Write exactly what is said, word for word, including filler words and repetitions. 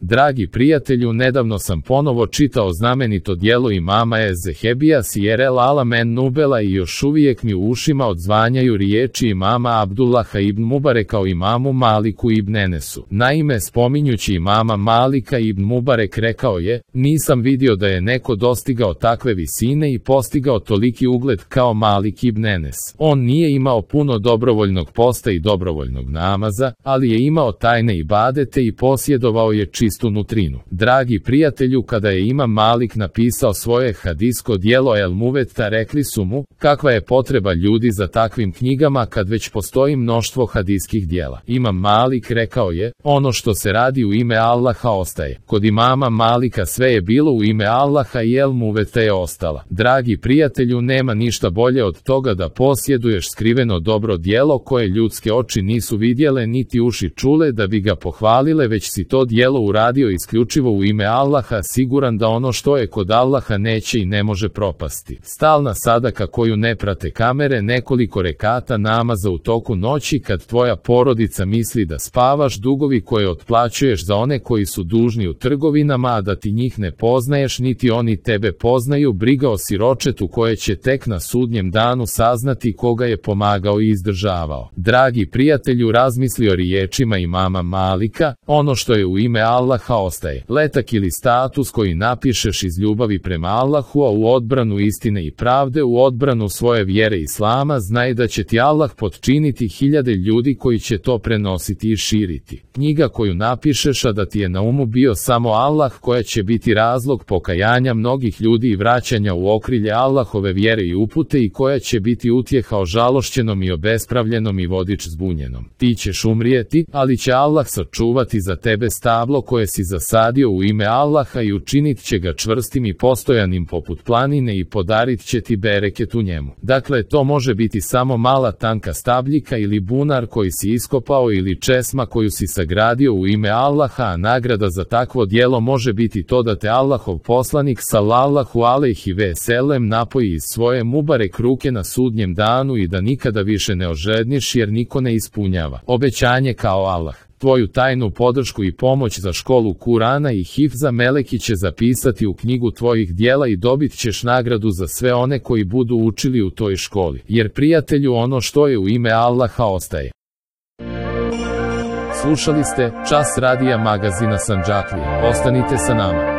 Dragi prijatelju, nedavno sam ponovo čitao znamenito djelo imama Ez-Zehebija Sijer el Alam en Nubela i još uvijek mi u ušima odzvanjaju riječi imama Abdullaha ibn Mubareka o imamu Maliku ibn Enesu. Naime, spominjući imama Malika ibn Mubarek rekao je: nisam vidio da je neko dostigao takve visine i postigao toliki ugled kao Malik ibn Enes. On nije imao puno dobrovoljnog posta i dobrovoljnog namaza, ali je imao tajne ibadete i posjedovao je čistu nutrinu. Dragi prijatelju, kada je imam Malik napisao svoje hadisko djelo El Muvetta, rekli su mu: kakva je potreba ljudi za takvim knjigama kad već postoji mnoštvo hadijskih djela. Imam Malik rekao je: ono što se radi u ime Allaha ostaje. Kod imama Malika sve je bilo u ime Allaha i El Muvetta je ostala. Dragi prijatelju, nema ništa bolje od toga da posjeduješ skriveno dobro djelo koje ljudske oči nisu vidjele niti uši čule da bi ga pohvalile, već si to djelo uradio isključivo u ime Allaha, siguran da ono što je kod Allaha neće i ne može propasti. Stalna sadaka koju ne prate kamere, nekoliko rekata namaza u toku noći kad tvoja porodica misli da spavaš, dugovi koje otplaćuješ za one koji su dužni u trgovinama, a da ti njih ne poznaješ niti oni tebe poznaju, briga o siročetu koje će tek na sudnjem danu saznati koga je pomagao i izdržavao. Dragi prijatelju, razmisli o riječima imama Malika: ono što je u ime Allaha ostaje. Letak ili status koji napišeš iz ljubavi prema Allahu, a u odbranu istine i pravde, u odbranu svoje vjere Islama, znaj da će ti Allah potčiniti hiljade ljudi koji će to prenositi i širiti. Knjiga koju napišeš, a da ti je na umu bio samo Allah, koja će biti razlog pokajanja mnogih ljudi i vraćanja u okrilje Allahove vjere i upute, i koja će biti utjeha ožalošćenom i obespravljenom i vodič zbunjenom. Ti ćeš umrijeti, ali će Allah sačuvati za tebe stablo koje si zasadio u ime Allaha i učinit će ga čvrstim i postojanim poput planine i podarit će ti bereket u njemu. Dakle, to može biti samo mala tanka stabljika ili bunar koji si iskopao ili česma koju si sagradio u ime Allaha, a nagrada za takvo djelo može biti to da te Allahov poslanik sallallahu alejhi ve sellem napoji iz svoje mubarek ruke na sudnjem danu i da nikada više ne ožedniš, jer niko ne ispunjava obećanje kao Allah. Tvoju tajnu podršku i pomoć za školu Kurana i hifza meleki će zapisati u knjigu tvojih djela i dobit ćeš nagradu za sve one koji budu učili u toj školi. Jer prijatelju, ono što je u ime Allaha ostaje. Slušali ste Čas radija magazina Sandžaklija. Ostanite sa nama.